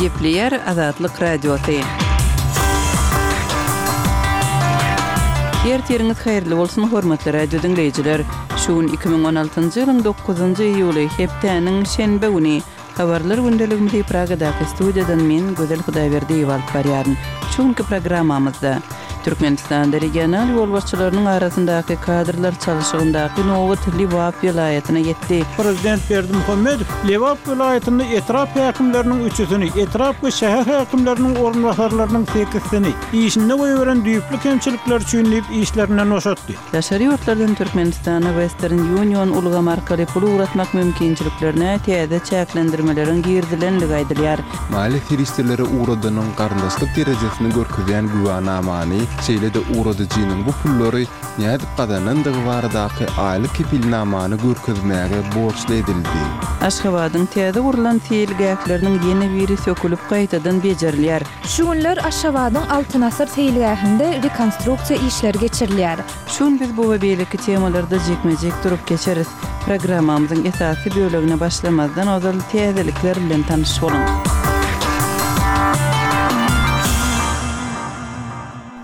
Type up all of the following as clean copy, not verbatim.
Gepleýär Azatlyk Radiosy. Ertiriňiz haýyrly bolsun, hormatly radio diňleýjiler! Şu gün 2016-njy ýylyň dokuzynjy iýuly, hepdäniň şenbe güni. Habarlar gündeligimizi Pragadaky studiýadan men, Gözel Hudaýberdiýewa alyp barýaryn. Şu günki programmamyzda, Türkmenistanda regional ýolbaşçylarynyň arasyndaky kadrlar çalşygyndaky nobat Lebap welaýatyna ýetdi. Prezident Berdimuhamedow Lebap welaýatynda etrap häkimleriniň üçüsini, etrap we şäher häkimleriniň orunbasarlarynyň sekizsini işinde goýberen düýpli kemçilikleri üçin diýip işlerinden boşatdy. Daşary ýurtlardan Türkmenistana Western Union ulgamy arkaly pul ugratmak mümkinçiliklerine täze çäklendirmeleriň girizilendigi aýdylýar. Maliýe serişdeleri ugradanyň garyndaşlyk derejesini görkezýän güwänamany, şeýle-de ugradyjynyň bu pullary nädip gazanandygy baradaky aýlyk kepilnamany görkezmäge borçly edildi. Aşgabadyň täze gurlan seýilgähleriniň ýene biri sökülip gaýtadan bejerilýär. Şu günler Aşgabadyň Altyn asyr seýilgähinde rekonstruksiýa işleri geçirilýär. Şu gün biz bu we beýleki temalarda jikme-jik durup geçeris. Programmamyzyň esasy bölegine başlamazdan ozal täzelikler bilen tanyş boluň.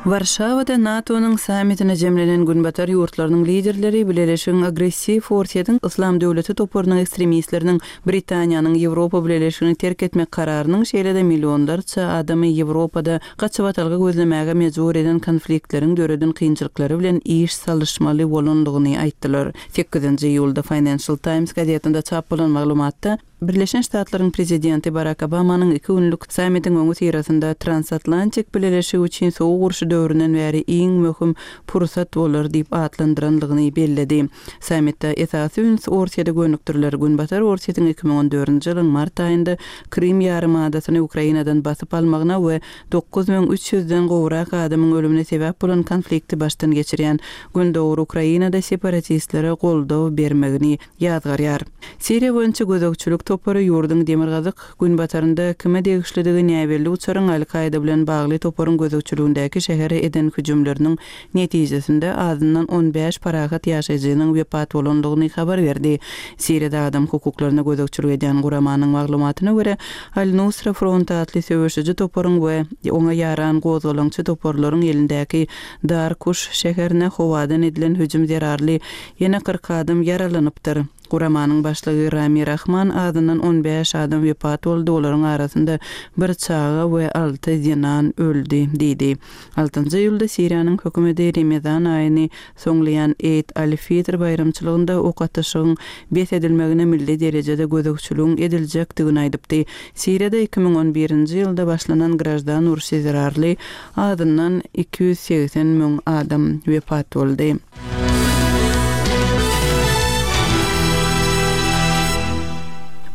Warşawada NATO-nyň sammitine jemlenen Günbatar ýurtlarynyň liderleri bileleşigiň agressiw Orsýetiň Yslam döwleti toparynyň ekstremistleriniň Britaniýanyň Ýewropa Bileleşigini terk etmek kararynyň, şeýle-de millionlarça adamy Ýewropada gaçybatalga gözlemäge mejbur eden konfliktleriň döreden kynçylyklary bilen iş salyşmaly bolandygyny aýtdylar. Sekizinji iýulda Financial Times gazetinde çap bolan maglumatda, Birleşen Ştatlaryň prezidenti Barak Obamanyň iki günlük sammitiň öňüsyrasynda transatlantik bileleşigi üçin sowuk urşy döwründen bäri iň möhüm pursat bolar diýip atlandyrandygyny belledi. Sammitde esasy üns Orsýete gönükdiriler. Günbatar Orsýetiň 2014-nji ýylyň mart aýynda Krym ýarymadasyny Ukrainadan basyp almagyna we 9300 den gowrak adamyň ölümine sebäp bolan konflikti başdan geçirýän Gündogar Ukrainada separatistlere goldaw bermegini ýazgarýar. Siriýa boýunça gözegçilik topary ýurduň demirgazyk günbatarynda kime degişlidigi näbelli uçaryň Al-Kaýda bilen bagly toparyň gözegçiligindäki şähere eden hüjümleriniň netijesinde azyndan 15 parahat ýaşaýjynyň wepat bolandygyny habar berdi. Siriýada adam hukuklaryna gözegçilik edýän guramanyň maglumatyna görä, Al-Nusra Front atly söweşiji toparyň we oňa ýaran gozgalaňçy toparlaryň elindäki Darkuş şäherine howadan edilen hüjüm zerarly ýene 40 adam ýaralanypdyr. Guramanyň başlygy Rami Rahman azyndan 15 adam wepat boldy, olaryň arasynda bir çaga we alty zenan öldi diýdi. Altynjy iýulda Siriýanyň hökümeti Remezan aýyny soňlaýan Eid al-Fitr baýramçylygynda ok atyşygyň bes edilmegine milli derejede gözegçiligiň ediljekdigini aýdypdy. Siriýada 2011-nji ýylda başlanan graždan urşy zerarly azyndan 280 müň adam wepat boldy.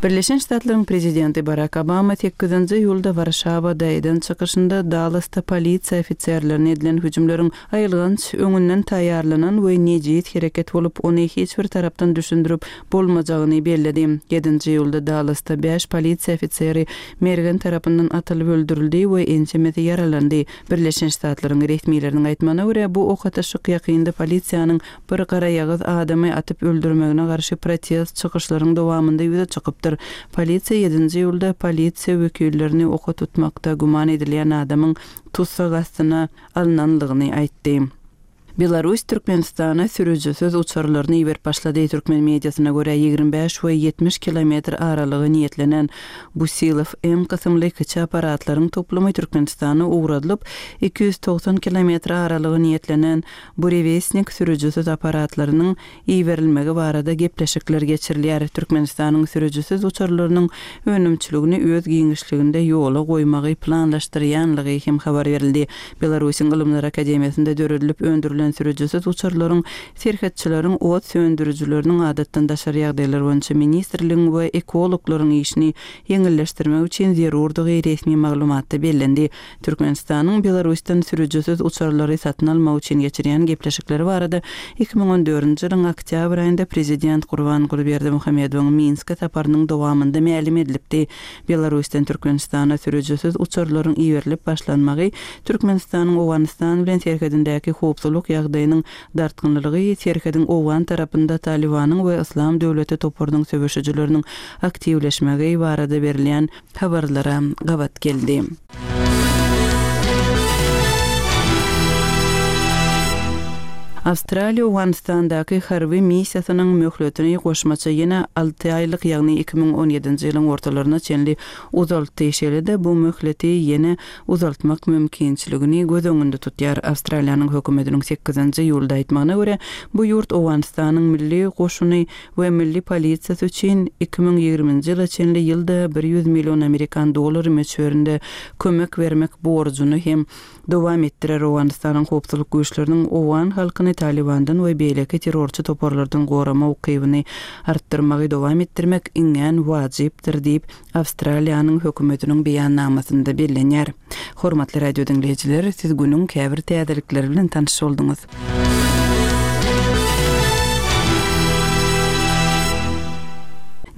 Birleşen Ştatlaryň prezidenti Barak Obama sekizinji iýulda Warşawada eden çykyşynda Dallasda polisiýa ofiserlerine edilen hüjümleriň aýylganç, öňünden taýýarlanan we nejis hereket bolup, ony hiç bir tarapdan düşündirip bolmajagyny belledi. Ýedinji iýulda Dallasda bäş polisiýa ofiseri mergen tarapyndan atylyp öldürildi we ençemesi ýaralandy. Birleşen Ştatlaryň resmileriniň aýtmagyna görä, bu ok atyşyk ýakynda polisiýanyň bir garaýagyz adamy atyp öldürmegine garşy protest çykyşlaryň dowamynda ýüze çykypdyr. Polisiýa ýedinji iýulda polisiýa wekillerini oka tutmakda güman edilýän adamyň tussag astyna alnanlygyny aýtdy. Belarus Türkmenistana sürüjisiz uçarlaryny iberip başlady. Türkmen mediasyna görä, 25 we 70 kilometr aralyga niýetlenen Busilow M kysymly kiçi apparatlaryň toplumy Türkmenistana ugradylyp, 290 kilometr aralyga niýetlenen Burewestnik sürüjisiz apparatlarynyň iberilmegi barada gepleşikler geçirilýär. Türkmenistanyň sürüjisiz uçarlarynyň önümçiligini öz giňişliginde ýola goýmagy planlaşdyrýanlygy hem habar berildi. Belarusyň Ylymlar akademiýasynda döredilip öndürilen sürüjisiz uçarlaryň serhetçileriň, ot söndürijileriniň, adatdan daşary ýagdaýlar boýunça ministrligiň we ekologlaryň işini ýeňilleşdirmek üçin zerurdygy resmi maglumatda bellendi. Türkmenistanyň Belarusdan sürüjisiz uçarlary satyn almak üçin geçirýän gepleşikleri barada 2014-nji ýylyň oktýabr aýynda prezident Gurbanguly Berdimuhamedowyň Minske saparynyň dowamynda mälim edilipdi. Belarusdan Türkmenistana sürüjisiz uçarlaryň iberilip başlanmagy Türkmenistanyň Owganystan bilen serhedindäki howpsuzlyk. ýagdaýynyň dartgynlylygy serhediň owgan tarapynda Talybanyň we Yslam döwleti toparynyň söweşijileriniň aktiwleşmegi barada berilýän habarlara gabat geldi. Awstraliýa Owganystandaky harby missiýasynyň möhletini goşmaça ýene alty aýlyk, ýagny 2017-nji ýylyň ortalaryna çenli uzaltdy. Şeýle-de bu möhleti ýene uzaltmak mümkinçiligini göz öňünde tutýar. Awstraliýanyň hökümetiniň sekizinji iýulda aýtmagyna görä, bu ýurt Owganystanyň milli goşuny we milli polisiýasy üçin 2020-nji ýyla çenli ýylda 100 million amerikan dollary möçberinde kömek bermek borjuny hem dowam etdirer. Owganystanyň howpsuzlyk güýçleriniň owgan halkyny Talybandan we beýleki terrorçy toparlardan gorama ukybyny artdyrmagy dowam etdirmek iňňän wajypdyr diýip, Awstraliýanyň hökümetiniň beýannamasynda bellenýär. Hormatly radio diňleýjiler, siz günüň käbir täzelikleri bilen tanyş bolduňyz.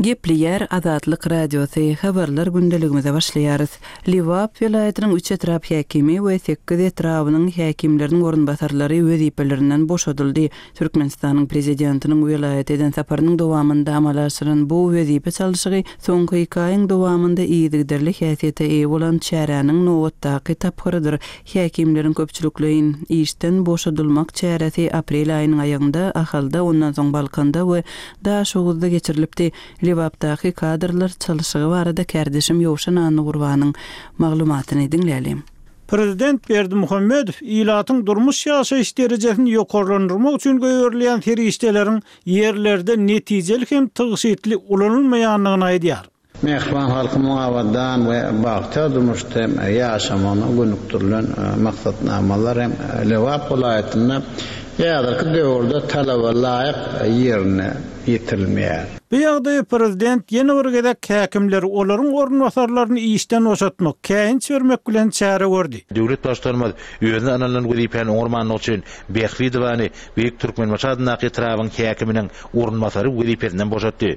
Gepleýär Azatlyk Radiosy, Habarlar gündeligimize başlaýarys. Lebap welaýatynyň üç etrap häkimi we sekiz etrabynyň häkimleriniň orunbasarlary wezipelerinden boşadyldy. Türkmenistanyň Prezidentiniň welaýata eden saparynyň dowamynda amala aşyrylan bu wezipe çalşygy soňky iki aýyň dowamynda yzygiderli häsiýete eýe bolan çäräniň nobatdaky tapgyrydyr. Häkimleriň köpçülikleýin işden boşadylmak çäresi aprel aýynyň aýagynda Ahalda, ondan soň Balkanda we Daşoguzda geçirilipdi. Lebapdaky kadrlar çalşygy barada kärdeşim Ýowşan Annagurbanyň maglumatyny diňläliň. Prezident Berdimuhamedow ilatyň durmuş-ýaşaýyş derejesini ýokarlandyrmak üçin goýberilýän serişdeleriň ýerlerde netijeli hem tygşytly ulanylmaýandygyny aýdýar. Mähriban halkymyň abadan we bagtyýar durmuşda hem ýaşamagyna gönükdirilen maksatnamalar hem Lebap welaýatynda häzirki döwürde talaba laýyk ýerine ýetirilmeýär. Bu ýagdaýa prezident ýene bir gezek häkimleri, olaryň orunbasarlaryny işden boşatmak, käýinç bermek bilen çäre gördi. Döwlet Baştutanymyz özüne ynanylan wezipäni oňarmandygy üçin Bähbidowany Beýik Türkmenbaşy adyndaky etrabyň häkiminiň orunbasary wezipesinden boşatdy.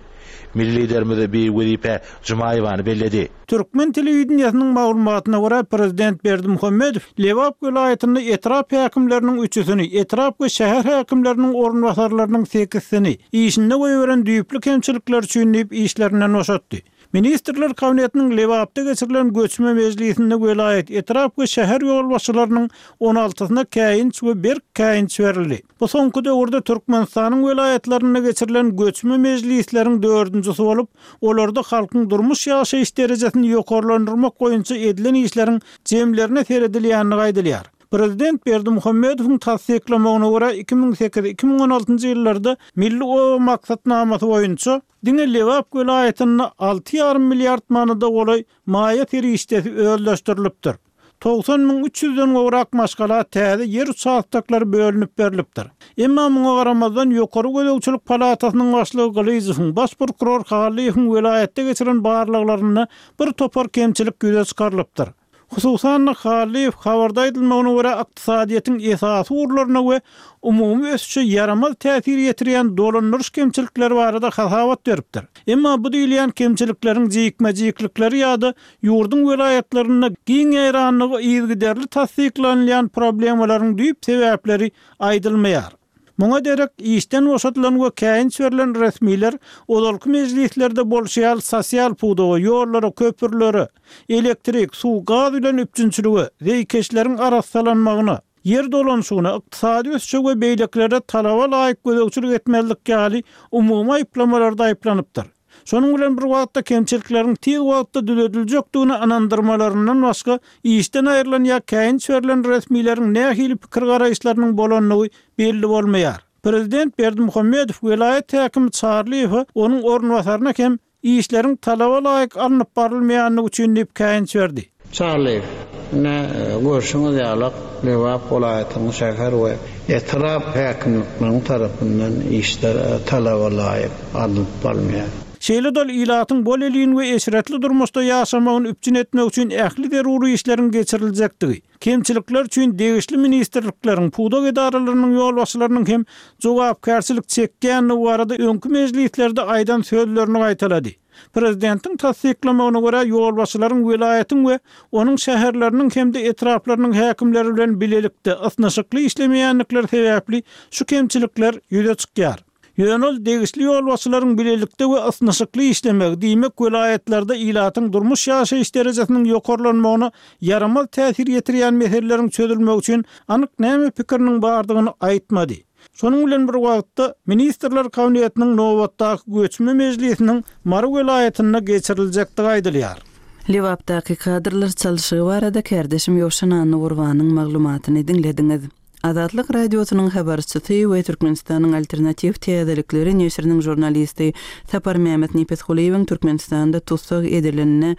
Milli Liderimiz bi wezipä Jumaýewany belledi. Türkmen telewideniýesiniň maglumatyna görä, prezident Berdimuhamedow Lebap welaýatynda etrap häkimleriniň üçüsini, etrap we şäher häkimleriniň orunbasarlarynyň sekizsini işinde goýberen düýpli kemçilikleri üçin diýip işlerinden boşatdy. Ministrler Kabinetiniň Lebapda geçirilen göçme mejlisinde welaýat, etrap we şäher ýolbaşçylarynyň on altysyna käýinç we berk käýinç berildi. Bu soňky döwürde Türkmenistanyň welaýatlarynda geçirilen göçme mejlisleriň dördünjisi bolup, olarda halkyň durmuş-ýaşaýyş derejesini ýokarlandyrmak boýunça edilen işleriň jemlerine seredilýändigi aýdylýar. Prezident Berdimuhamedowyň tassyklamagyna görä, 2008, 2016 ýyllarda Milli oba maksatnamasy boýunça diňe Lebap welaýatynda alty ýarym milliard manada golaý maýa serişdesi özleşdirilipdir. 90 300-den gowrak maşgala täze ýer uçastoklary bölünip berlipdir. Emma muňa garamazdan, Ýokary gözegçilik palatasynyň başlygy Gylyjowyň, baş prokuror Hallyýewiň welaýatda geçiren barlaglarynda bir topar kemçilik ýüze çykarylypdyr. Hususan-da, Hallyýew, habarda aýdylmagyna görä, ykdysadyýetiň esasy ugurlaryna we umumy ösüşe ýaramaz täsir ýetirýän dolandyryş kemçilikleri barada hasabat beripdir. Emma bu diýilýän kemçilikleriň jikme-jiklikleri ýa-da ýurduň welaýatlarynda giň ýaýrandygy yzygiderli tassyklanylýan problemalaryň düýp sebäpleri aýdylmaýar. Muňa derek, işden boşadylan we käýinç berlen resmiler ozalky mejlislerde bolşy ýaly sosial pudaga, ýollara, köprülere, elektrik, suw, gaz bilen üpjünçilige, zeýkeşleriň arassalanmagyna, ýer dolanyşygyna, ykdysady ösüşe we beýlekilere talaba laýyk gözegçilik etmezlik ýaly umumy aýyplamalarda aýyplanypdyr. Şonuň bilen bir wagtda kemçilikleriň tiz wagtda düzediljekdigine ynandyrmalaryndan başga, işden aýrylan ýa käýinç berlen resmileriň nähili pikir-garaýyşlarynyň bolandygy belli bolmaýar. Prezident Berdimuhamedow welaýat häkimi Çarlyýewe, onuň orunbasaryna hem işleriň talaba laýyk alnyp barylmaýandygy üçin diýip käýinç berdi. Çarlyýew, Ine, görşüňiz ýalak, Lebap welaýatynyň şäher we etrap häkimlikleriniň tarapyndan işler talaba laýyk alnyp barylmaýar. Şeýle-de ol ilatyň bolelin we eşretli durmuşda ýaşamagyny üpjün etmek üçin ähli zerur işleriň geçiriljekdigi, kemçilikler üçin degişli ministrlikleriň, pudak edaralarynyň ýolbaşçylarynyň hem jogapkärçilik çekýändigi barada öňki mejlislerde aýdan sözlerini gaýtalady. Prezidentiň tassyklamagyna görä, ýolbaşçylaryň welaýatyň we onuň şäherleriniň hem-de etraplarynyň häkimleri bilen bilelikde ysnyşykly işlemeýändikleri sebäpli şu kemçilikler ýüze çykýar. Ýöne ol degişli ýolbaşçylaryň bilelikde we ysnyşykly işlemegi, diýmek, welaýatlarda ilatyň durmuş-ýaşaýyş derejesiniň ýokarlanmagyna ýaramaz täsir ýetirýän meseleleriň çözülmegi üçin anyk näme pikiriniň bardygyny aýtmady. Şonuň bilen bir wagtda, Ministrler Kabinetiniň nobatdaky göçme mejlisiniň Mary welaýatynda geçiriljekdigi aýdylýar. Lebapdaky kadrlar çalşygy barada kärdeşim Ýowşan Annagurbanyň maglumatyny diňlediňiz. Azatlyk Radiosynyň habarçysy we Türkmenistanyň Alternatiw täzelikleri neşiriniň žurnalisti Saparmämmet Nepesgulyýewiň Türkmenistanda tussag edilenine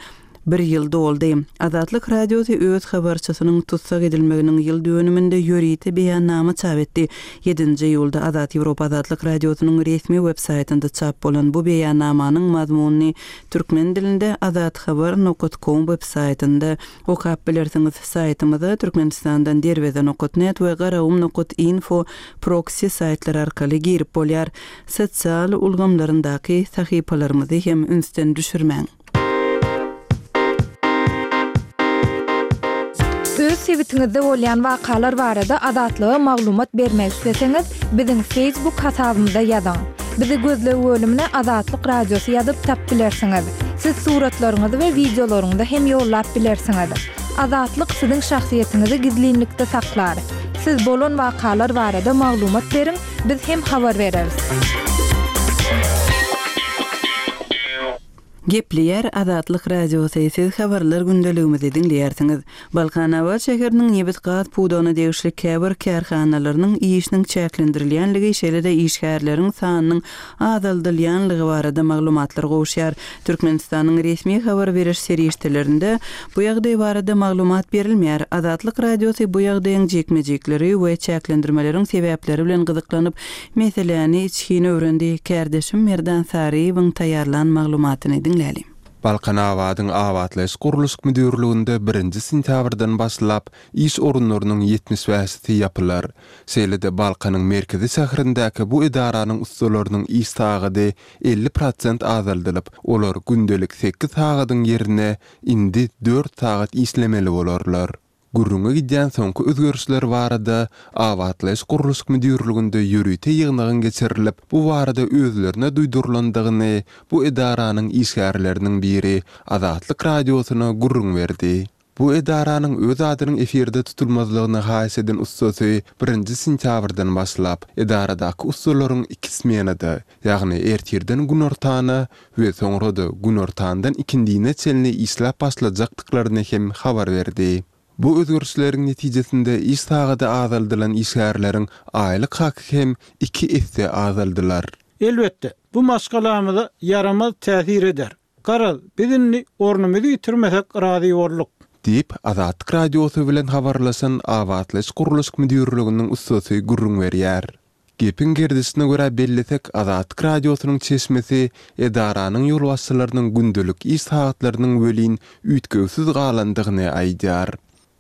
bir ýyl doldy. Azatlyk Radiosy öz habarçysynyň tussag edilmeginiň ýyl dönüminde ýörite beýannama çap etdi. Ýedinji iýulda Azat Ýewropa Azatlyk Radiosynyň resmi web-saýtynda çap bolan bu beýannamanyň mazmunyny türkmen dilinde azathabar nokat kom web-saýtynda okap bilersiňiz. Saýtymyza Türkmenistandan Derweze nokat net we Garagum nokat info proksi saýtlary arkaly girip bolýar. Sosial ulgamlaryndaky sahypalarymyzy hem ünsden düşürmäň. Öz sebitiňizde bolýan wakalar barada Azatlyga maglumat bermek isleseňiz, biziň Facebook hasabymyza ýazyň. Bizi gözleg bölümine Azatlyk Radiosy ýazyp tap bilersiňiz. Siz suratlaryňyzy we wideolaryňyzy hem ýollap bilersiňiz. Azatlyk siziň şahsyýetiňizi gizlinlikde saklar. Siz bolan wakalar barada maglumat beriň, biz hem habar bereris. Gepleýär Azatlyk Radiosy, siz habarlar gündeligimizi diňleýärsiňiz. Balkanabat şäheriniň nebit-gaz pudagyna degişli käbir kärhanalarynyň işiniň çäklendirilýänligi, şeýle-de işgärleriň sanynyň azaldylýanlygy barada maglumatlar gowuşýar. Türkmenistanyň resmi habar beriş serişdelerinde bu ýagdaý barada maglumat berilmeýär. Azatlyk Radiosy bu ýagdaýyň jikme-jikleri we çäklendirmeleriň sebäpleri bilen gyzyklanyp, Meseläni içgin öwrendi. Kärdeşim Merdan Saryýewiň taýýarlan maglumatyny diňläliň. Balkanabadyň abatlaýyş-gurluşyk müdirliginde birinji sentýabrdan başlap iş orunlarynyň 75-si ýapylar. Şeýle-de Balkanyň merkezi şäherindäki bu edaranyň ussalarynyň iş sagady 50 prosent azaldylyp, olar gündelik sekiz sagadyň ýerine indi dört sagat işlemeli bolarlar. Gürrüňi gidýän soňky özgerişler barada Abatlaýyş-gurluşyk müdirliginde ýörite ýygnagyň geçirilip, bu barada özlerine duýdurylandygyny bu edaranyň işgärleriniň biri Azatlyk Radiosyna gürrüň berdi. Bu edaranyň öz adynyň efirde tutulmazlygyny haýyş eden ussasy birinji sentýabrdan başlap, edaradaky ussalaryň iki smenada, ýagny ertirden günortana we soňra-da günortandan ikindine çenli işläp başlajakdyklaryny hem habar berdi. Bu özgerişleriň netijesinde iş sagady azaldylan işgärleriň aýlyk haky hem iki esse azaldylar. Elbetde, bu maşgalamyza ýaramaz täsir eder. Garaz, biz indi ornumyzy ýitirmesek razy bolduk. Diýip, Azatlyk Radiosy bilen habarlaşan Abatlaýyş-gurluşyk müdirliginiň ussasy gürrüň berýär. Gepiň gerdişine görä bellesek, Azatlyk Radiosynyň çeşmesi edaranyň ýolbaşçylarynyň gündelik iş sagatlarynyň welin üýtgewsiz galandygyny aýdýar.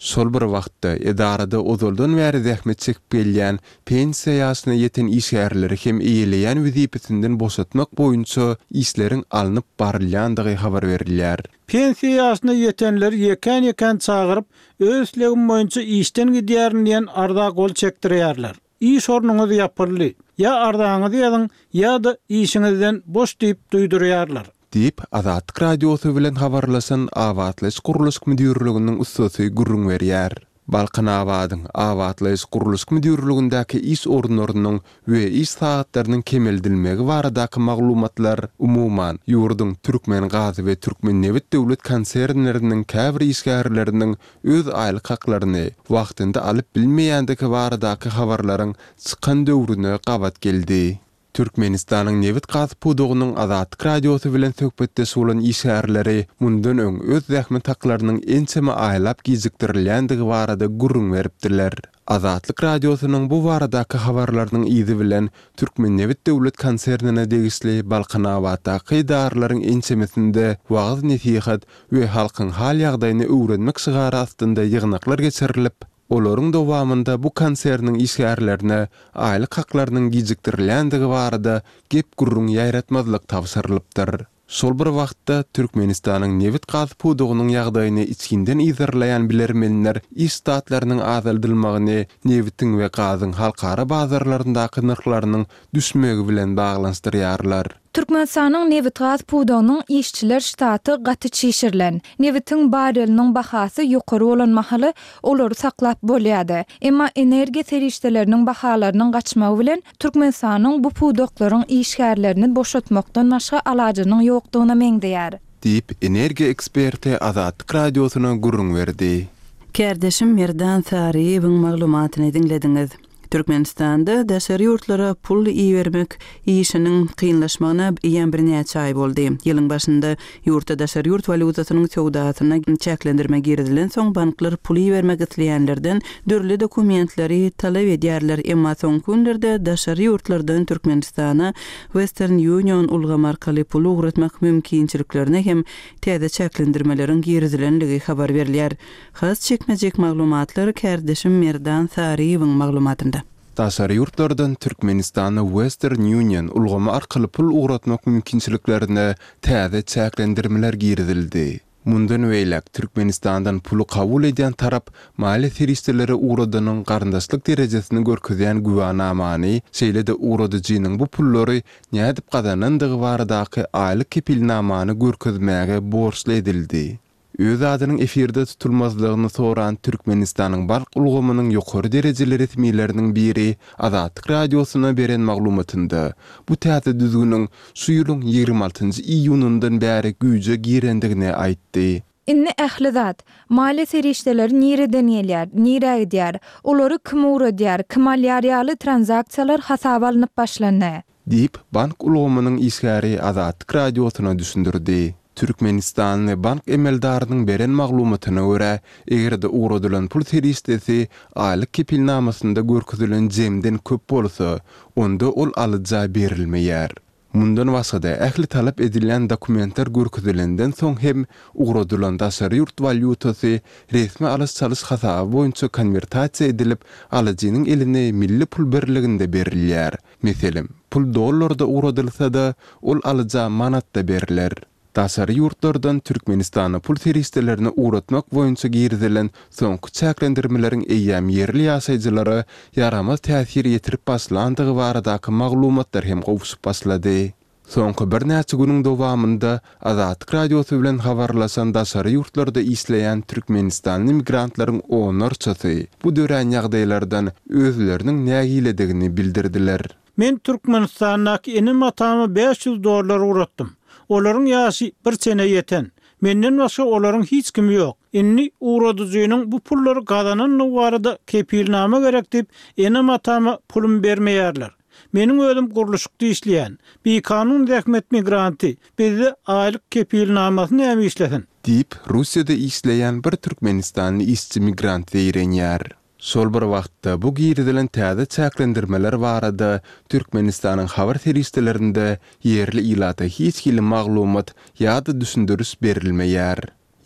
Şol bir wagtda, edarada ozaldan bäri zähmet çekip gelýän, pensiýa ýaşyna ýeten işgärleri hem eýeleýän wezipesinden boşatmak boýunça işleriň alnyp barylýandygy habar berilýär. Pensiýa ýaşyna ýetenleri ýekän-ýekän çagyryp, öz islegim boýunça işden gidýärin diýen arza gol çekdirýärler. Iş ornuňyz ýapyldy. Ýa arzaňyzy ýazyň, ýa-da işiňizden boş diýip duýdurýarlar. Diýip, Azatlyk Radiosy bilen habarlaşan Abatlaýyş-gurluşyk müdirliginiň ussasy gürrüň berýär. Balkanabadyň Abatlaýyş-gurluşyk müdirligindäki iş orunlarynyň we iş sagatlarynyň kemeldilmegi baradaky maglumatlar, umuman, ýurduň Türkmengaz we Türkmennebit döwlet konsernleriniň käbir işgärleriniň öz aýlyk haklaryny wagtynda alyp bilmeýändigi baradaky habarlaryň çykan döwrüne gabat geldi. Türkmenistanyň nebit-gaz pudagynyň Azatlyk Radiosy bilen söhbetdeş bolan işgärleri mundan öň öz zähmet haklarynyň ençeme aýlap gijikdirilýändigi barada gürrüň beripdiler. Azatlyk Radiosynyň bu baradaky habarlarynyň yzy bilen Türkmennebit döwlet konsernine degişli Balkanabatdaky edaralaryň ençemesinde wagyz-nesihat we halkyň hal-ýagdaýyny öwrenmek şygary astynda ýygnaklar geçirilip, olaryň dowamynda bu konserniň işgärlerine aýlyk haklarynyň gijikdirilýändigi barada gep-gürrüň ýaýratmazlyk tabşyrylypdyr. Şol bir wagtda, Türkmenistanyň nebit-gaz pudagynyň ýagdaýyny içginden yzarlaýan bilermenler iş ştatlarynyň azaldylmagyny nebitiň we gazyň halkara bazarlaryndaky nyrhlarynyň düşmegi bilen baglanyşdyrýarlar. Türkmenistanyň nebitgaz pudagynyň işçiler ştaty gaty çişirilen. Nebitiň barreliniň bahasy ýokary bolan mahaly olary saklap bolýardy. Emma energiýa serişdeleriniň bahalarynyň gaçmagy bilen Türkmenistanyň bu pudaklaryň işgärlerini boşatmakdan başga alajynyň ýokdugyna meňzeýär. Diýip, energiýa eksperti Azatlyk Radiosyna gürrüň berdi. Kärdeşim Merdan Saryýewiň maglumatyny diňlediňiz. Türkmenistanda daşary ýurtlara pul ibermek işiniň kynlaşmagyna eýýäm birnäçe aý boldy. Ýylyň başynda ýurtda daşary ýurt walýutasynyň söwdasyna çäklendirme girizilensoň, banklar pul ibermek isleýänlerden dürli dokumentleri talap edýärler, emma soňky günlerde daşary ýurtlardan Türkmenistana Western Union ulgamy arkaly pul ugratmak mümkinçiliklerine hem täze çäklendirmeleriň girizilenligi habar berilýär. Has çekmejek maglumatlar kärdeşim Merdan Saryýewiň maglumatynda. Daşary ýurtlardan Türkmenistana Western Union ulgamy arkaly pul ugratmak mümkinçiliklerine täze çäklendirmeler girizildi. Mundan beýläk Türkmenistandan puly kabul edýän tarap maliýe serişdeleri ugradanyň garyndaşlyk derejesini görkezýän güwänamany, şeýle-de ugradyjynyň bu pullary nädip gazanandygy baradaky aýlyk kepilnamany görkezmäge borçly edildi. Öz adynyň efirde tutulmazlygyny soran Türkmenistanyň bank ulgamynyň ýokary derejeli resmileriniň biri Azatlyk Radiosyna beren maglumatynda bu täze düzgüniň şu ýylyň 26 njy iýunyndan bäri güýje girendigini aýtdy. Indi ähli zat, maliýe serişdeleri nireden gelýär, nirä gidýär, olary kim ugradýar, kim alýar ýaly tranzaksiýalar hasaba alnyp başlandy. Diýip, bank ulgamynyň işgäri Azatlyk Radiosyna düşündirdi. Türkmenistanly bank emeldarynyň beren maglumatyna görä, eger-de ugradylan pul serişdesi aýlyk kepilnamasynda görkezilen jemden köp bolsa, onda ol alyja berilmeýär. Mundan başga-da, ähli talap edilýän dokumentler görkezilenden soň hem ugradylan daşary ýurt walýutasy resmi alyş-çalyş hasaby boýunça konwertasiýa edilip, alyjynyň eline milli pul birliginde berilýär. Meselem, pul dollarda ugradylsa-da, ol alyja manatda berler. Daşary ýurtlardan Türkmenistana pul serişdelerini ugratmak boýunça girizilen soňky çäklendirmeleriň eýýäm ýerli ýaşaýjylara ýaramaz täsir ýetirip başlandygy baradaky maglumatlar hem gowşup başlady. Soňky birnäçe günüň dowamynda Azatlyk Radiosy bilen habarlaşan daşary ýurtlarda işleýän türkmenistanly migrantlaryň onlarçasy bu dörän ýagdaýlardan özleriniň nägiledigini bildirdiler. Men Türkmenistandaky enem-atama 500 dollar ugratdym. Olaryň ýaşy bir çene ýeten. Menden başga olaryň hiç kimi ýok. Indi ugradyjynyň bu pullary gazanandygy barada kepilnama gerek diýip, enem-atama pulumy bermeýärler. Meniň özüm gurluşykda işleýän. Bikanun zähmet migranty. Bizde aýlyk kepilnamasy näme işlesin? Diýip, Russiýada işleýän bir türkmenistanly işçi migrant zeýrenýär. Şol bir wagtda, bu girizilen täze çäklendirmeler barada Türkmenistanyň habar serişdelerinde ýerli ilata hiç hili maglumat ýa-da düşündiriş berilmeýär.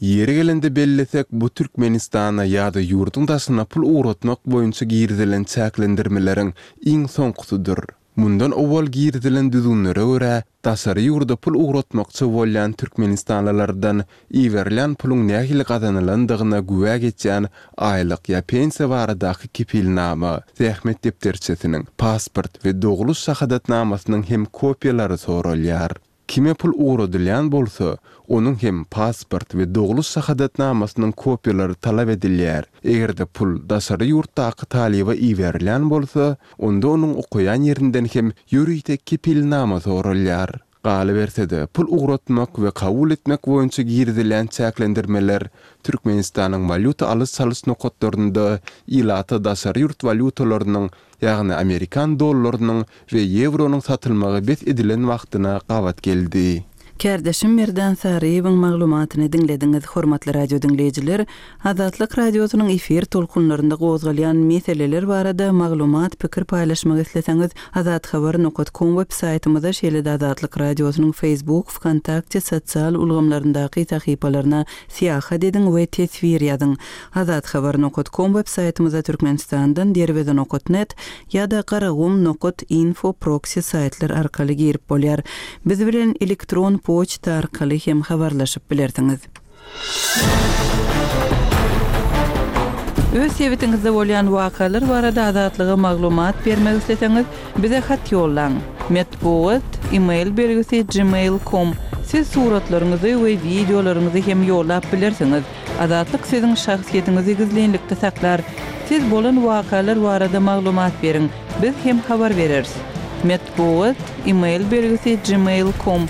Ýeri gelende bellesek, bu Türkmenistana ýa-da ýurduň daşyna pul ugratmak boýunça girizilen çäklendirmeleriň iň soňkusydyr. Mundan owal girizilen düzgünlere görä, daşary ýurda pul ugratmakçy bolýan türkmenistanlylardan iberilýän puluň nähili gazanylandygyna güwä geçýän aýlyk ýa pensiýa baradaky kepilnama, zähmet depderçesiniň, pasport we dogluş şahadatnamasynyň hem kopiýalary soralýar. Kime pul ugradylýan bolsa, onuň hem pasport we dogluş şahadatnamasynyň kopiýalary talap edilýär. Eger-de pul daşary ýurtdaky talyba iberilýän bolsa, onda onuň okaýan ýerinden hem ýörite kepilnama soralýar. Galyberse-de, pul ugratmak we kabul etmek boýunça girizilýän çäklendirmeler Türkmenistanyň walýuta alyş-çalyş nokatlarynda ilata daşary ýurt walýutalarynyň ýagny amerikan dollarynyň we ýewronyň satylmagy bes edilen wagtyna gabat geldi. Kärdeşim Merdan Saryýewiň maglumatyny diňlediňiz. Hormatly radio diňleýjiler, Azatlyk Radiosynyň efir tolkunlarynda gozgalýan meseleler barada maglumat, pikir paýlaşmak isleseňiz, azathabar nokat kom web saýtymyza, şeýle-de Azatlyk Radiosynyň Facebook, Wkontakte sosial ulgamlaryndaky sahypalaryna syýahat ediň we teswir ýazyň. Azathabar nokat kom web saýtymyza Türkmenistandan Derweze nokat net ýa-da Garagum nokat info proksi saýtlar arkaly girip bolýar. Biz bilen elektron. poçta arkaly hem habarlaşyp bilersiňiz. Öz sebitiňizde bolýan wakalar barada Azatlyga maglumat bermek isleseňiz, bize hat ýollaň. Metbugat, e-mail belgisi gmail com Siz suratlaryňyzy we wideolaryňyzy hem ýollap bilersiňiz. Azatlyk siziň şahsyýetiňizi gizlinlikde saklar. Siz bolan wakalar barada maglumat beriň, biz hem habar bereris. Metbugat, e-mail belgisi gmail com.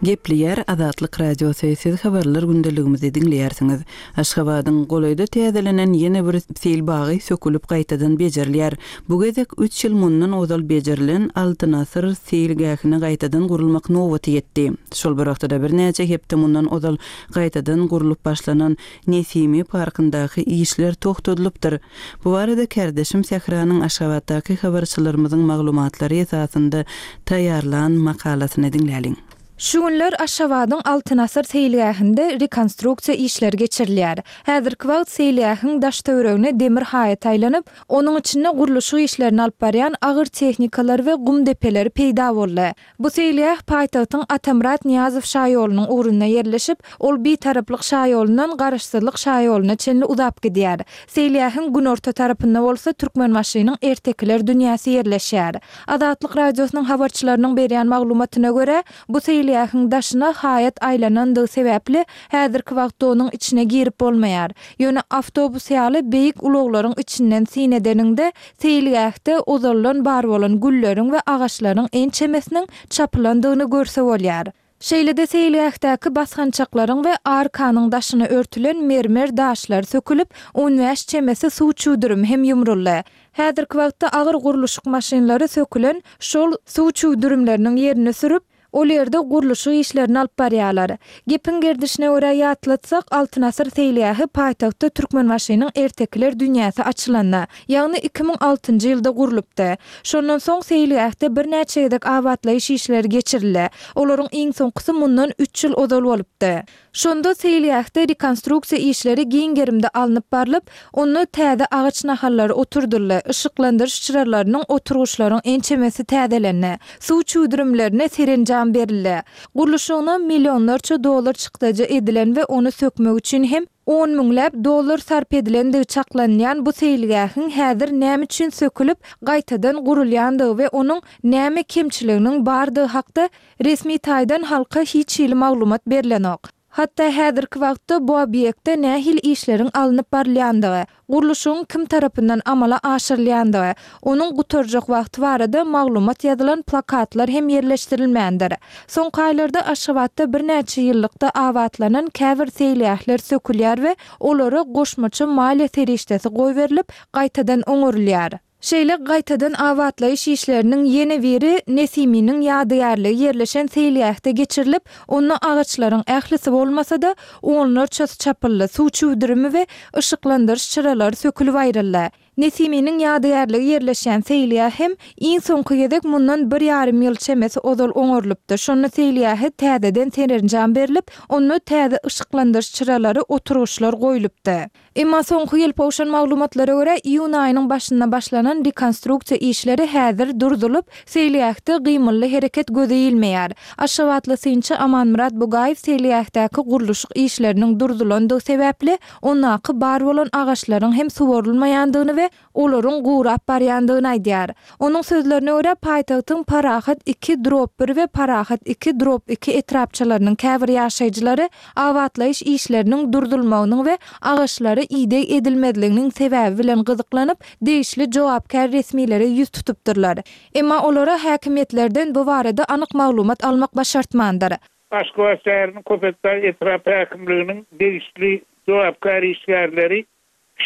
Gepleýär Azatlyk Radiosy, siz habarlar gündeligimizi diňleýärsiňiz. Aşgabadyň golaýda täzelenen ýene bir seýil bagy sökülip gaýtadan bejerilýär. Bu gezek üç ýyl mundan ozal bejerilen Altyn asyr seýilgähine gaýtadan gurulmak nobaty ýetdi. Şol bir wagtda-da birnäçe hepde mundan ozal gaýtadan gurlup başlanan Nesimi parkyndaky işler togtadylypdyr. Bu barada kärdeşim Sähranyň Aşgabatdaky habarçylarymyzyň maglumatlary esasynda taýýarlan makalasyny diňläliň. Şu günler Aşgabadyň Altyn asyr seýilgähinde rekonstruksiýa işleri geçirilýär. Häzirki wagt seýilgähiň daş-töweregine demir haýat aýlanyp, onuň içinde gurluşyk işlerini alyp barýan agyr tehnikalar we gum depeleri peýda boldy. Bu seýilgäh paýtagtyň Atamyrat Nyýazow şaýolunyň ugrunda ýerleşip, ol Bitaraplyk şaýolundan Garaşsyzlyk şaýoluna çenli uzap gidýär. Seýilgähiň günorta tarapynda bolsa Türkmenbaşynyň ertekiler dünýäsi ýerleşýär. Azatlyk Radiosynyň habarçylarynyň berýän maglumatyna görä, bu seýilgähiň daşyna haýat aýlanandygy sebäpli, häzirki wagtda onuň içine girip bolmaýar. Ýöne awtobus ýaly beýik ulaglaryň içinden syn edeniňde, Seýilgähde ozaldan bar bolan gülleriň we agaçlaryň ençemesiniň çapylandygyny görse bolýar. Şeýle-de seýilgähdäki basgançaklaryň we arkanyň daşyna örtülen mermer daşlar sökülip, on bäş çemesi suw çüwdürimi hem ýumruldy. Häzirki wagtda agyr gurluşyk maşynlary sökülen şol suw çüwdürimleriniň ýerini sürüp, Ol ýerde gurluşyk işlerini alyp barýarlar. Gepiň gerdişine görä ýatlatsak, Altyn asyr seýilgähi paýtagtda Türkmenbaşynyň ertekiler dünýäsi açylanda, ýagny 2006-njy ýylda gurlupdy. Şondan soň seýilgähde birnäçe gezek abatlaýyş işleri geçirildi. Olaryň iň soňkusy mundan üç ýyl ozal bolupdy. Şonda seýilgähde rekonstruksiýa işleri giň gerimde alnyp barlyp, onda täze agaç nahallary oturdyldy, yşyklandyryş çyralarynyň, oturgyçlaryň ençemesi täzelendi, suw çüwdürimlerine serenjam berildi. Gurluşygyna millionlarça dollar çykdajy edilen we ony sökmek üçin hem on müňläp dollar sarp edilendigi çaklanylýan bu seýilgähiň häzir näme üçin sökülip, gaýtadan gurulýandygy we onuň näme kemçiliginiň bardygy hakda Resmi taýdan halka hiç hili maglumat berlenok. Hatda häzirki wagtda bu obýektde nähili işleriň alnyp barylýandygy, gurluşygyň kim tarapyndan amala aşyrylýandygy, onuň gutarjak wagty barada maglumat ýazylan plakatlar hem ýerleşdirilmändir. Soňky aýlarda Aşgabatda birnäçe ýyllykda abatlanan käbir seýilgähler sökülýär we olara goşmaça maliýe serişdesi goýberilip, gaýtadan oňarylýar. Şeýle gaýtadan abatlaýyş işleriniň ýene biri Nesiminiň ýadygärligi ýerleşen seýilgähde geçirilip, onda agaçlaryň ählisi bolmasa-da, onlarçasy çapyldy, suw çüwdürimi we yşyklandyryş çyralary sökülip aýryldy. Nesiminiň ýadygärligi ýerleşýän seýilgäh hem iň soňky gezek mundan bir ýarym ýyl çemesi ozal oňarylypdy, şonda seýilgähe täzeden serenjam berlip, onda täze yşyklandyryş çyralary, oturgyçlar goýlupdy. Emma soňky gelip gowşan maglumatlara görä, iýun aýynyň başynda başlanan rekonstruksiýa işleri häzir durzulyp, seýilgähde gymylly hereket göze ilmeýär. Aşgabatly synçy Amanmyrat Bugaýew seýilgähdäki gurluşyk işleriniň durzulandygy sebäpli, ondaky bar bolan agaçlaryň hem suwarylmaýandygyny we olaryň gurap barýandygyny aýdýar. Onuň sözlerine görä, paýtagtyň Parahat iki drop bir we Parahat iki drop iki etrapçalarynyň käbir ýaşaýjylary abatlaýyş işleriniň durdulmagynyň we agaçlara ideg edilmezliginiň sebäbi bilen gyzyklanyp, degişli jogapkär resmilere ýüz tutupdyrlar. Emma olara häkimiýetlerden bu barada anyk maglumat almak başartmandyr. Aşgabat şäheriniň Köpetdag etrap häkimliginiň degişli jogapkär işgärleri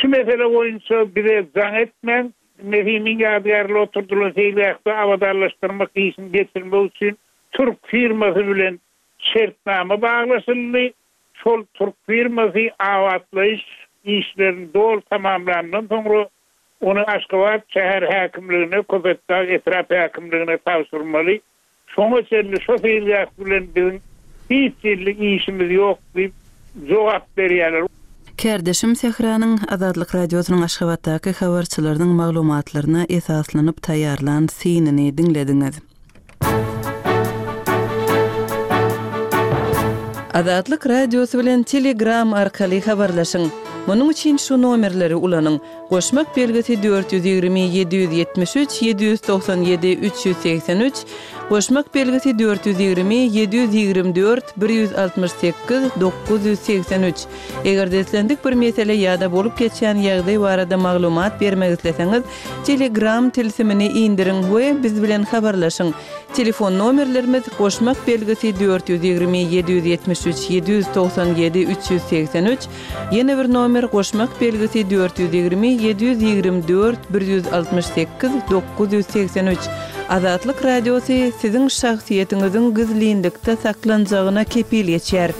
Şu mesele boýunça bize jaň etmäň, Nesimiň ýadygärligi oturdylan seýilgähde abadanlaşdyrmak işini geçirmek üçin türk firmasy bilen şertnama baglaşyldy. Şol türk firmasy abatlaýyş işlerini doly tamamlandan soňra ony Aşgabat şäher häkimligine, Köpetdag etrap häkimligine tabşyrmaly. Şoňa çenli şo seýilgäh bilen biziň hiç hili işimiz ýok diýip jogap berýärler. Kärdeşim Sähranyň Azatlyk Radiosynyň Aşgabatdaky habarçylarynyň maglumatlaryna esaslanyp taýýarlan synyny diňlediňiz. Azatlyk Radiosy bilen Telegram arkaly habarlaşyň! Munuň üçin şu nomerleri ulanyň, Goşmak belgisi 420 773 797 383, Goşmak belgisi 420 724 168 983. Eger-de islendik bir mesele ýa-da bolup geçýän ýagdaý barada maglumat bermek isleseňiz, Telegram tilsimini indiriň we biz bilen habarlaşyň. Telefon nomerlerimiz, goşmak belgisi 420 773 797 383, ýene bir nomer goşmak belgisi 420 724 168 983. Azatlyk Radiosy siziň şahsyýetiňiziň gizlinlikde saklanjagyna kepil geçýär.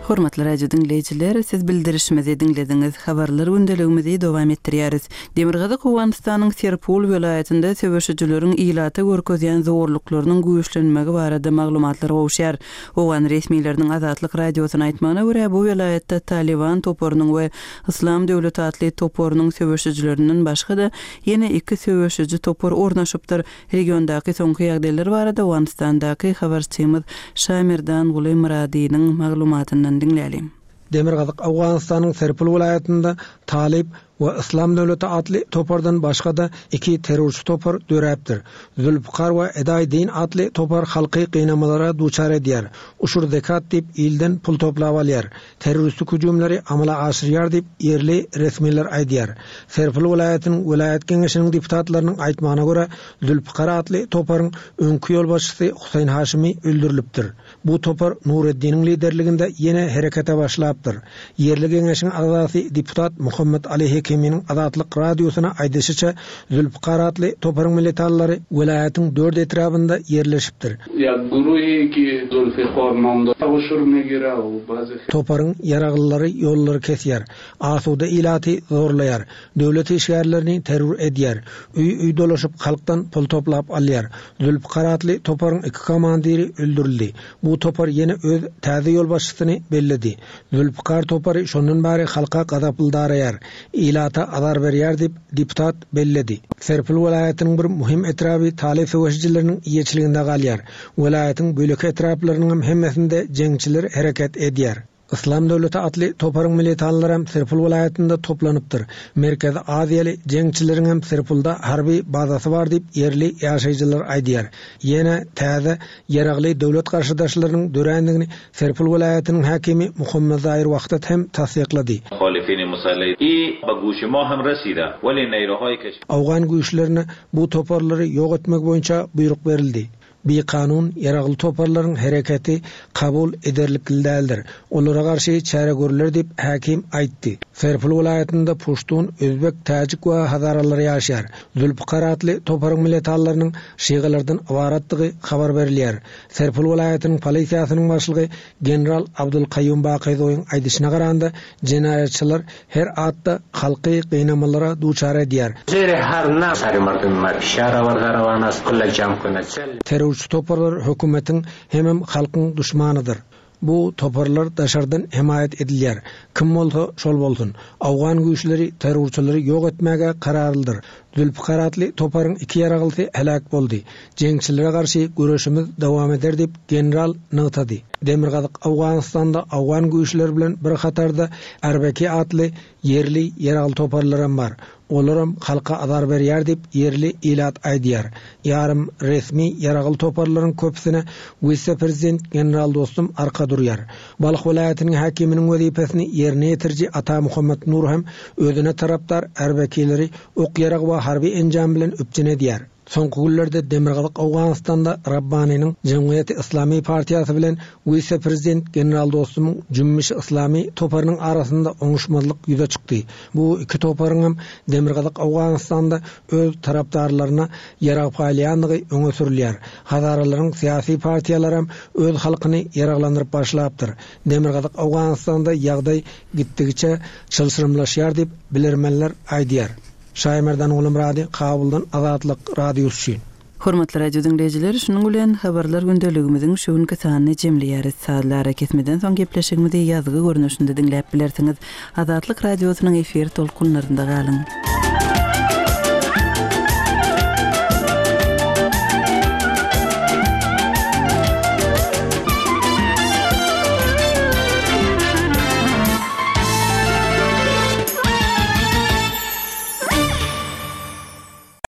Hormatly radio diňleýjiler, siz bildirişimizi diňlediňiz. Habarlar gündeligimizi dowam etdirýäris. Demirgazyk Owganystanyň Serpul welaýatynda söweşijileriň ilata görkezýän zorluklarynyň güýçlenmegi barada maglumatlar gowuşýar. Owgan resmileriniň Azatlyk Radiosyna aýtmagyna görä, bu welaýatda Talyban toparynyň we Yslam döwleti atly toparynyň söweşijilerinden başga-da, ýene iki söweşiji topar ornaşypdyr. Regiondaky soňky ýagdaýlar barada Owganystandaky habarçymyz Şamerdanguly Myradynyň maglumatyndan diňläliň. Demirgazyk Owganystanyň Serpul welaýatynda Talyp we Yslam döwleti atly topardan başga-da iki terrorçy topar döräpdir. Zülpükar we Edaý Din atly topar halky gynamalara duçar edýär, uşur zekat diýip ilden pul toplap alýar. Terroristik hüjümleri amala aşyrýar diýip, ýerli resmiler aýdýar. Serpil welaýatynyň welaýat geňeşiniň deputatlarynyň aýtmagyna görä, Zülpükar atly toparyň öňki ýolbaşçysy Huseýn Haşymy öldürilipdir. Bu topar Nureddiniň liderliginde ýene herekete başlapdyr. Ýerli geňeşiň agzasy deputat Muhammet Ali Hekiminiň Azatlyk Radiosyna aýdyşyça, Zülpükar atly toparyň militanlary welaýatyň dört etrabynda ýerleşipdir. Toparyň ýaraglylary ýollary kesýär, asuda ilaty zorlaýar, döwlet işgärlerini terror edýär, öý-öý dolaşyp halkdan pul toplap alýar. Zülpükar atly toparyň iki komandiri öldürildi. Bu topar ýene öz täze ýolbaşçysyny belledi. Zülpükar topary şondan bäri halka gazaply daraýar, ilata azar berýär diýip, deputat belledi. Serpil welaýatynyň bir möhüm etraby talyp söweşijileriniň eýeçiliginde galýar. Welaýatyň beýleki etraplarynyňam hemmesinde jeňçiler hereket edýär. Yslam döwleti atly toparyň militanlaram Serpil welaýatynda toplanypdyr. Merkezi Aziýaly jeňçileriňem Serpilde harby bazasy bar diýip ýerli ýaşaýjylar aýdýar. Ýene täze ýaragly döwlet garşydaşlarynyň dörändigini Serpil welaýatynyň häkimi Muhammet Zair Wahdat hem tassyklady. Owgan güýçlerine bu toparlary ýok etmek boýunça buýruk berildi. Bikanun ýaragly toparlaryň hereketi kabul ederlikli däldir. Olara garşy çäre görler diýip, häkim aýtdy. Serpil welaýatynda puştun, özbek, täjik we hazaralar ýaşaýar. Zülpükar atly toparyň militanlarynyň şygalardan ybaratdygy habar berilýär. Serpil welaýatynyň polisiýasynyň başlygy general Abdulkaýum Bakyzowyň aýdyşyna garanda, jenaýatçylar her atda halky gynamalara duçar edýär. Terrorçy toparlar hökümetiň hemem halkyň duşmanydyr. Bu toparlar daşardan hemaýat edilýär. Kim bolsa, şol bolsun. Owgan güýçleri terrorçylary ýok etmäge kararlydyr. Zülpükar atly toparyň iki ýaraglysy heläk boldy. Jeňçilere garşy göreşimiz dowam eder diýip, general nygtady. Demirgazyk Owganystanda owgan güýçleri bilen bir hatarda Arbeki atly ýerli ýaragly toparlaram bar. Olaram halka azar berýär diýip, ýerli ilat aýdýar. Ýarym resmi ýaragly toparlaryň köpüsine wise-prezident general Dostum arka durýar. Balh welaýatynyň häkiminiň wezipesini ýerine ýetiriji Ata Muhammet Nur hem özüne tarapdar ärbekileri ok-ýarag we harby enjam bilen üpjün edýär. Soňky günlerde Demirgazyk Owganystanda Rabbanynyň Jemgyýeti Yslamy partiýasy bilen wise-prezident general Dostumyň Jümmüşi Yslamy toparynyň arasynda oňuşmazlyk ýüze çykdy. Bu iki toparyňam Demirgazyk Owganystanda öz tarapdarlaryna ýarag paýlaýandygy öňe sürülýär. Hazaralaryň syýasy partiýalaram öz halkyny ýaraglandyryp başlapdyr. Demirgazyk Owganystanda ýagdaý gitdigiçe çylşyrymlaşýar diýip, bilermenler aýdýar. Şaýmerdan Gulumyrady, Kabuldan Azatlyk Radiosy üçin. Hormatly radio diňleýjiler, şunuň bilen Habarlar gündeligimiziň şu günki sanyny jemleýäris. Sazly arakesmeden soň gepleşigimizi ýazgy görnüşinde diňläp bilersiňiz. Azatlyk Radiosynyň efir tolkunlarynda galyň!